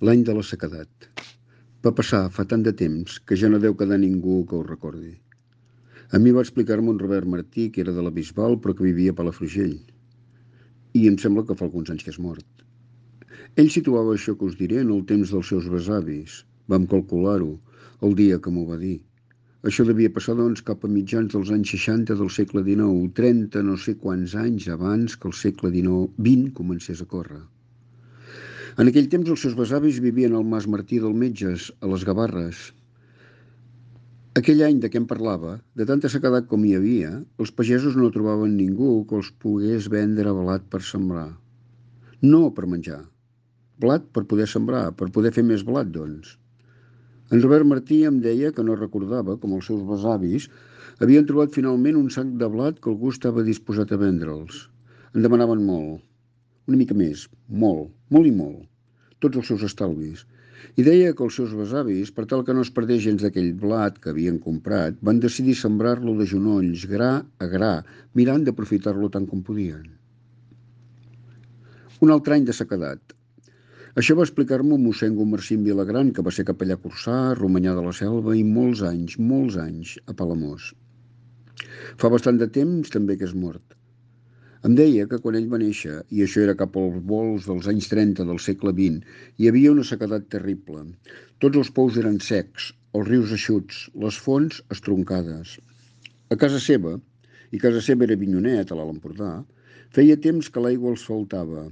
L'any de la sequedat. Va passar fa tant de temps que ja no deu quedar ningú que ho recordi. A mi va explicar-me un Robert Martí, que era de la Bisbal però que vivia a Palafrugell. I em sembla que fa alguns anys que és mort. Ell situava això que us diré en el temps dels seus besavis. Vam calcular-ho, el dia que m'ho va dir. Això devia passar, doncs, cap a mitjans dels anys 60 del segle XIX, 30 no sé quants anys abans que el segle XX comencés a córrer. En aquell temps els seus besavis vivien al Mas Martí del Metges, a les Gavarres. Aquell any de què em parlava, de tanta sequedat com hi havia, els pagesos no trobaven ningú que els pogués vendre blat per sembrar. No per menjar. Blat per poder sembrar, per poder fer més blat, doncs. En Robert Martí em deia que no recordava com els seus besavis havien trobat finalment un sac de blat que algú estava disposat a vendre'ls. En demanaven molt. Una mica més. Molt. Molt i molt. Tots els seus estalvis. I deia que els seus besavis, per tal que no es perdés gens d'aquell blat que havien comprat, van decidir sembrar-lo de genolls, gra a gra, mirant d'aprofitar-lo tant com podien. Un altre any de sequedat. Això va explicar-m'ho mossèn Gumersind Vilagran, que va ser capellà cursà, a Romanyà de la Selva i molts anys, a Palamós. Fa bastant de temps també que és mort. Em deia que quan ell va néixer, i això era cap als volts dels anys 30 del segle XX, hi havia una sequedat terrible. Tots els pous eren secs, els rius eixuts, les fonts estroncades. A casa seva, i casa seva era Avinyonet, a l'Alt Empordà, feia temps que l'aigua els faltava.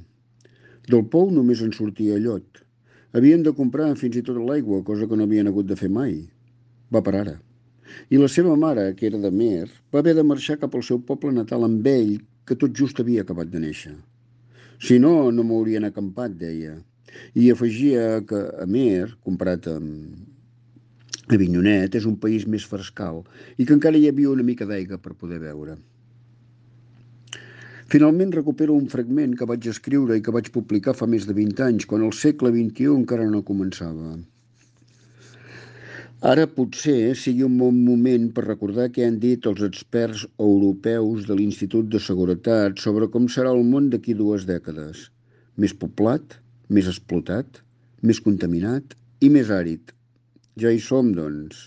Del pou només en sortia llot. Havien de comprar fins i tot l'aigua, cosa que no havien hagut de fer mai. Va per ara. I la seva mare, que era de Mer, va haver de marxar cap al seu poble natal amb ell, que tot just havia acabat de néixer. Si no, no m'haurien acampat, deia. I afegia que Amer, comparat amb Avinyonet, és un país més frescal i que encara hi havia una mica d'aigua per poder beure. Finalment recupero un fragment que vaig escriure i que vaig publicar fa més de 20 anys, quan el segle XXI encara no començava. Ara potser sigui un bon moment per recordar què han dit els experts europeus de l'Institut de Seguretat sobre com serà el món d'aquí 2 dècades. Més poblat, més explotat, més contaminat i més àrid. Ja hi som, doncs.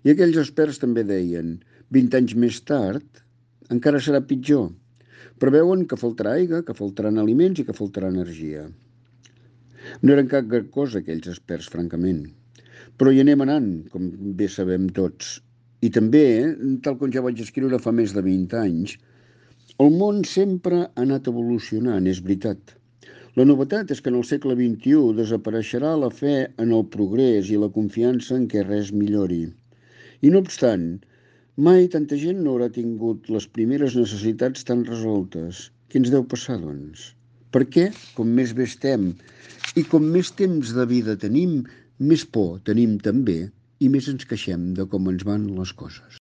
I aquells experts també deien, 20 anys més tard, encara serà pitjor. Preveuen que faltarà aigua, que faltaran aliments i que faltarà energia. No eren cap gran cosa aquells experts, francament. Però hi anem anant, com bé sabem tots. I també, tal com ja vaig escriure fa més de 20 anys, el món sempre ha anat evolucionant, és veritat. La novetat és que en el segle XXI desapareixerà la fe en el progrés i la confiança en què res millori. I no obstant, mai tanta gent no haurà tingut les primeres necessitats tan resoltes. Què ens deu passar, doncs? Per què, com més bé estem i com més temps de vida tenim, més por tenim també i més ens queixem de com ens van les coses.